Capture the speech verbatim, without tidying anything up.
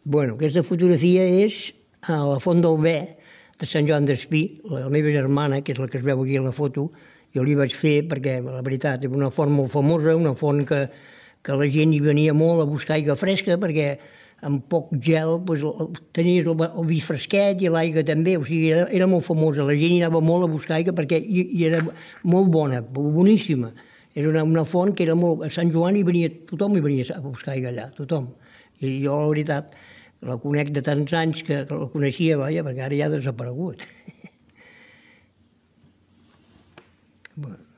Bueno, aquesta fotografia és a la Font del Bé de Sant Joan d'Espí. La meva germana, que és la que es veu aquí a la foto, jo li vaig fer perquè, la veritat, és una font molt famosa, una font que, que la gent hi venia molt a buscar aigua fresca, perquè amb poc gel doncs, tenies el, el vi fresquet i l'aigua també, o sigui, era, era molt famosa. La gent hi anava molt a buscar aigua perquè hi, hi era molt bona, boníssima. Era una, una font que era molt... A Sant Joan hi venia, tothom hi venia a buscar aigua allà, tothom. I jo, la veritat, la conec de tants anys que, que la coneixia, vaja, perquè ara ja ha desaparegut. Bueno.